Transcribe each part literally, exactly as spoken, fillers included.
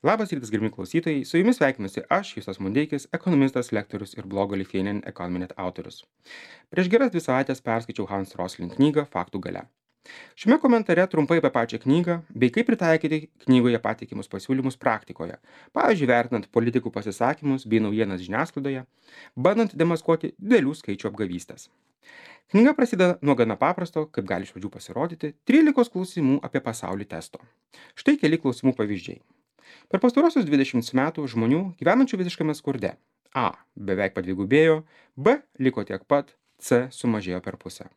Labas rytas, gerbimi klausytojai, su jumis sveikinuosi aš, Justas Mundeikis, ekonomistas, lektorius ir blogo Lithuanian Economy Net autorius. Prieš geras dvi savaitės perskaičiau Hans Rosling knygą Faktų galia. Šiame komentare trumpai apie pačią knygą, bei kaip pritaikyti knygoje pateikimus pasiūlymus praktikoje, pavyzdžiui, vertinant politikų pasisakymus bei naujienas žiniasklaidoje, bandant demaskuoti didelių skaičių apgavystės. Knyga prasideda nuo gana paprasto, kaip gali iš pradžių pasirodyti, trylikos klausimų apie pasaulį testo. Štai keli klausimų pavyzdžiai. Per pastarosius dvidešimt metų žmonių gyvenančių visiškame skurde A. Beveik padvigubėjo, B. Liko tiek pat, C. Sumažėjo per pusę.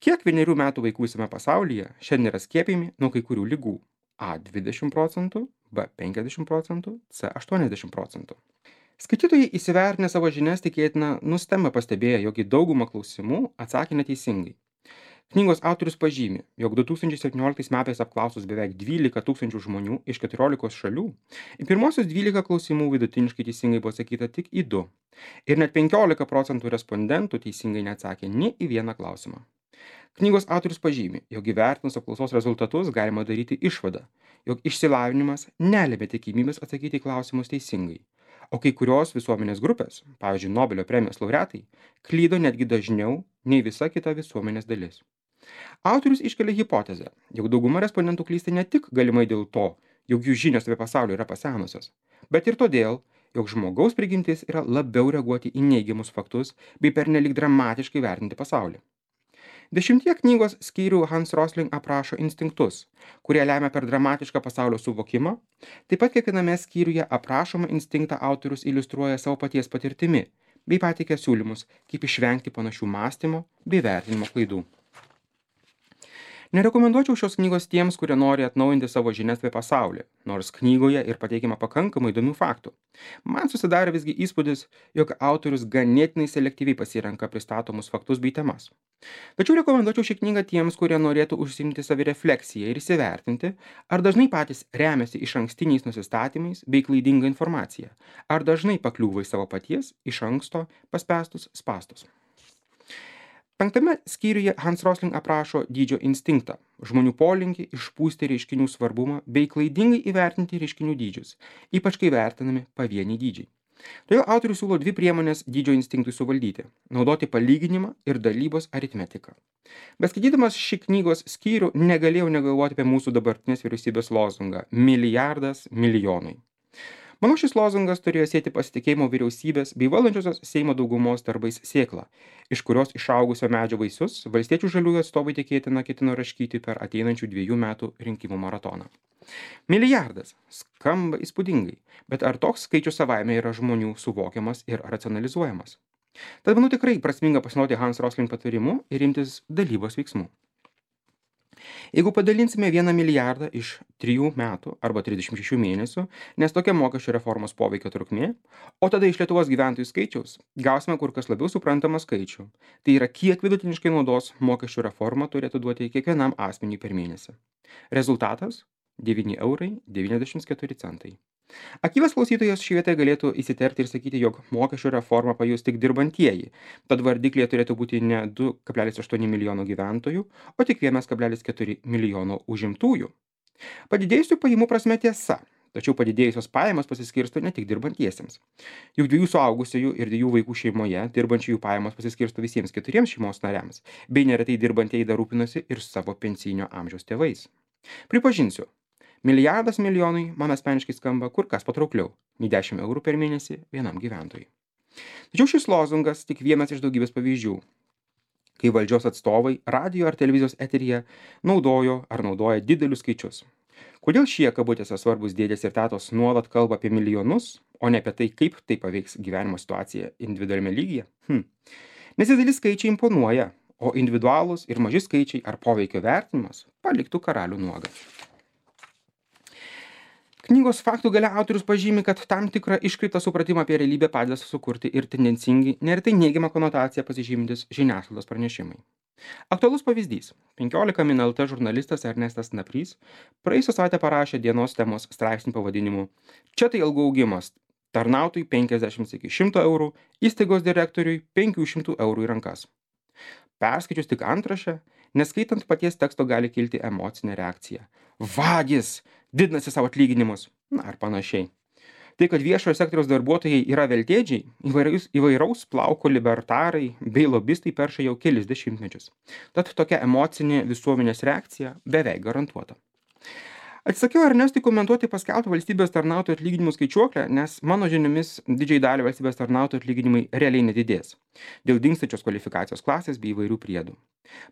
Kiek vienerių metų vaikų visame pasaulyje šiandien yra skiepijami nuo kai kurių ligų? A. dvidešimt procentų, B. penkiasdešimt procentų, C. aštuoniasdešimt procentų. Skaitytojai įsivertinę savo žinias tikėtina nustemba pastebėję, jog į daugumą klausimų atsakė neteisingai. Knygos autorius pažymi, jog du tūkstančiai septynioliktais metais apklausus beveik dvylika tūkstančių žmonių iš keturiolikos šalių, į pirmosius dvylika klausimų vidutiniškai teisingai buvo atsakyta tik į du. Ir net penkiolika procentų respondentų teisingai neatsakė nė į vieną klausimą. Knygos autorius pažymi, jog įvertinus apklausos rezultatus galima daryti išvadą, jog išsilavinimas nelėmė tikimybės atsakyti į klausimus teisingai. O kai kurios visuomenės grupės, pavyzdžiui, Nobelio premijos laureatai, klydo netgi dažniau nei visa kita visuomenės dalis. Autorius iškelia hipotezę, jog dauguma respondentų klysta ne tik galimai dėl to, jog jų žinios apie pasaulį yra pasenusios, bet ir todėl, jog žmogaus prigimtis yra labiau reaguoti į neigiamus faktus bei pernelyg dramatiškai vertinti pasaulį. Dešimtie knygos skyrių Hans Rosling aprašo instinktus, kurie lemia per dramatišką pasaulio suvokimą. Taip pat kiekviename skyriuje aprašomą instinktą autorius iliustruoja savo paties patirtimi, bei pateikia siūlymus, kaip išvengti panašių mąstymo bei vertinimo klaidų. Nerekomenduočiau šios knygos tiems, kurie nori atnaujinti savo žinias apie pasaulį, nors knygoje ir pateikiama pakankamai įdomių faktų. Man susidarė visgi įspūdis, jog autorius ganėtinai selektyviai pasirenka pristatomus faktus bei temas. Tačiau rekomenduočiau šią knygą tiems, kurie norėtų užsiimti savirefleksiją ir įsivertinti, ar dažnai patys remiasi iš ankstiniais nusistatymais bei klaidinga informacija, ar dažnai pakliūva į savo paties iš anksto paspęstus spąstus. Penktame skyriuje Hans Rosling aprašo dydžio instinktą, žmonių polinkį išpūsti reiškinių svarbumą bei klaidingai įvertinti reiškinių dydžius, ypač kai vertinami pavieniai dydžiai. Todėl autorius siūlo dvi priemonės dydžio instinktui suvaldyti – naudoti palyginimą ir dalybos aritmetiką. Beskaitydamas šį knygos skyrių negalėjau negalvoti apie mūsų dabartinės vyriausybės lozungą milijardas milijonui. Manau, šis lozungas turėjo sieti pasitikėjimo vyriausybės bei valdančiosios Seimo daugumos darbais sėklą, iš kurios išaugusio medžio vaisius valstiečių žaliųjų atstovai tikėtina ketino raškyti per ateinančių dviejų metų rinkimų maratoną. Milijardas skamba įspūdingai, bet ar toks skaičius savaime yra žmonių suvokiamas ir racionalizuojamas? Tad manau tikrai prasminga pasinaudoti Hans Rosling patarimu ir imtis dalybos veiksmų. Jeigu padalinsime vieną milijardą iš trijų metų arba trisdešimt šešių mėnesių, nes tokia mokesčių reformos poveikio trukmė, o tada iš Lietuvos gyventojų skaičiaus gausime kur kas labiau suprantamą skaičių. Tai yra, kiek vidutiniškai naudos mokesčių reforma turėtų duoti kiekvienam asmeniui per mėnesį. Rezultatas – devyni eurai devyniasdešimt keturi centai. Aktyvas klausytojas šį vietą galėtų įsiterpti ir sakyti, jog mokesčių reformą pajus tik dirbantieji, tad vardiklyje turėtų būti ne du kablelis aštuoni milijono gyventojų, o tik vienas kablelis keturi milijono užimtųjų. Padidėjusių pajamų prasme tiesa, tačiau padidėjusios pajamos pasiskirsto ne tik dirbantiesiems. Juk dviejų suaugusiųjų ir dviejų vaikų šeimoje dirbančiųjų pajamos pasiskirsto visiems keturiems šeimos nariams, bei neretai dirbantieji dar rūpinasi ir savo pensinio amžiaus tėvais. Pripažinsiu, milijardas milijonui man asmeniškai skamba kur kas patraukliau nei dešimt eurų per mėnesį vienam gyventojui. Tačiau šis lozungas tik vienas iš daugybės pavyzdžių, kai valdžios atstovai radijo ar televizijos eteryje naudojo ar naudoja didelius skaičius. Kodėl šie kabutėse svarbus dėdės ir tetos nuolat kalba apie milijonus, o ne apie tai, kaip tai paveiks gyvenimo situaciją individualiame lygyje? Hm. Nes dideli skaičiai imponuoja, o individualūs ir maži skaičiai ar poveikio vertinimas paliktų karalių nuogą. Knygos Faktų galia autorius pažymi, kad tam tikrą iškreiptą supratimą apie realybę padeda sukurti ir tendencingi, neretai neigiamą konotaciją pasižymintis žiniasklaidos pranešimai. Aktualus pavyzdys. penkiolika min el te žurnalistas Ernestas Naprys praėjusią savaitę parašė dienos temos straipsnį pavadinimu "Čia tai algų augimas. Tarnautojui penkiasdešimt iki šimto eurų, įstaigos direktoriui penkių šimtų eurų į rankas." Perskaičius tik antraštę, neskaitant paties teksto gali kilti emocinė reakcija. Vagys! Didinasi savo atlyginimus. Na, ar panašiai. Tai, kad viešojo sektoriaus darbuotojai yra veltėdžiai, įvairaus, įvairaus plauko libertarai bei lobistai perša jau kelis dešimtmečius. Tad tokia emocinė visuomenės reakcija beveik garantuota. Atsisakiau Ernestui komentuoti paskelbtą valstybės tarnautojų atlyginimų skaičiuoklę, nes mano žiniomis didžiai dalį valstybės tarnautojų atlyginimai realiai nedidės dėl dingstančios kvalifikacijos klasės bei įvairių priedų.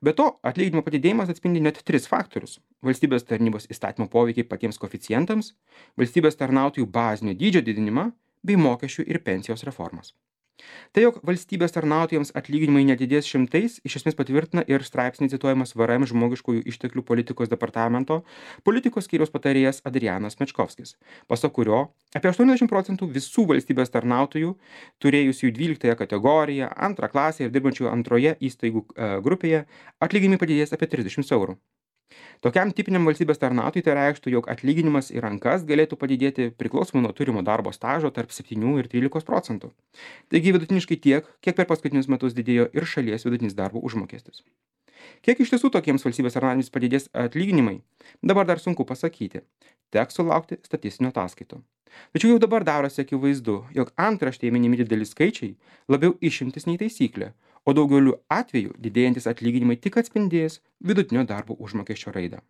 Be to, atlyginimo padidėjimas atspindi net tris faktorius - valstybės tarnybos įstatymo poveikiai patiems koeficientams, valstybės tarnautojų bazinio dydžio didinimą bei mokesčių ir pensijos reformas. Tai, jog valstybės tarnautojams atlyginimai nedidės šimtais, iš esmės patvirtina ir straipsnį cituojamas V R M žmogiškųjų išteklių politikos departamento politikos skyriaus patarėjas Adrianas Mečkovskis, pasak kurio apie aštuoniasdešimt procentų visų valstybės tarnautojų, turėjusių dvyliktąją kategoriją, antrą klasę ir dirbančių antroje įstaigų e, grupėje, atlyginimai padidės apie trisdešimt eurų. Tokiam tipiniam valstybės tarnautojui tai reikštų, jog atlyginimas į rankas galėtų padidėti priklausomai nuo turimo darbo stažo tarp septynių ir trylikos procentų. Taigi vidutiniškai tiek, kiek per paskutinius metus didėjo ir šalies vidutinis darbo užmokestis. Kiek iš tiesų tokiems valstybės tarnautojams padidės atlyginimai, dabar dar sunku pasakyti. Teks sulaukti statistinių ataskaitų. Tačiau jau dabar darosi akivaizdu, jog antraštėje minimi dideli skaičiai labiau išimtis nei taisyklė, o daugeliu atveju didėjantis atlyginimai tik atspindės vidutinio darbo užmokesčio raidą.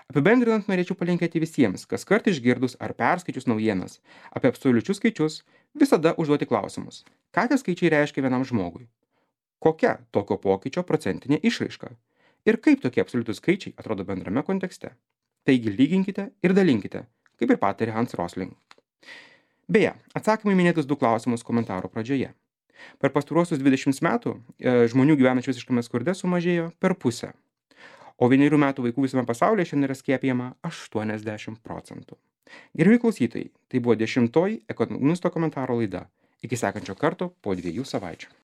Apibendrinant, norėčiau palinkėti visiems, kas kart išgirdus ar perskaičius naujienas apie absoliučius skaičius, visada užduoti klausimus. Ką tie skaičiai reiškia vienam žmogui? Kokia tokio pokyčio procentinė išraiška? Ir kaip tokie absoliutūs skaičiai atrodo bendrame kontekste? Taigi lyginkite ir dalinkite, kaip ir patarė Hans Rosling. Beje, atsakymai minėtus du klausimus komentaro pradžioje. Per pastaruosius dvidešimt metų e, žmonių gyvenančių visiškame skurde sumažėjo per pusę, o vienerių metų vaikų visame pasaulyje šiandien yra skiepijama aštuoniasdešimt procentų. Gerbiami klausytojai, tai buvo dešimtoji ekonomisto komentaro laida. Iki sekančio karto po dviejų savaičių.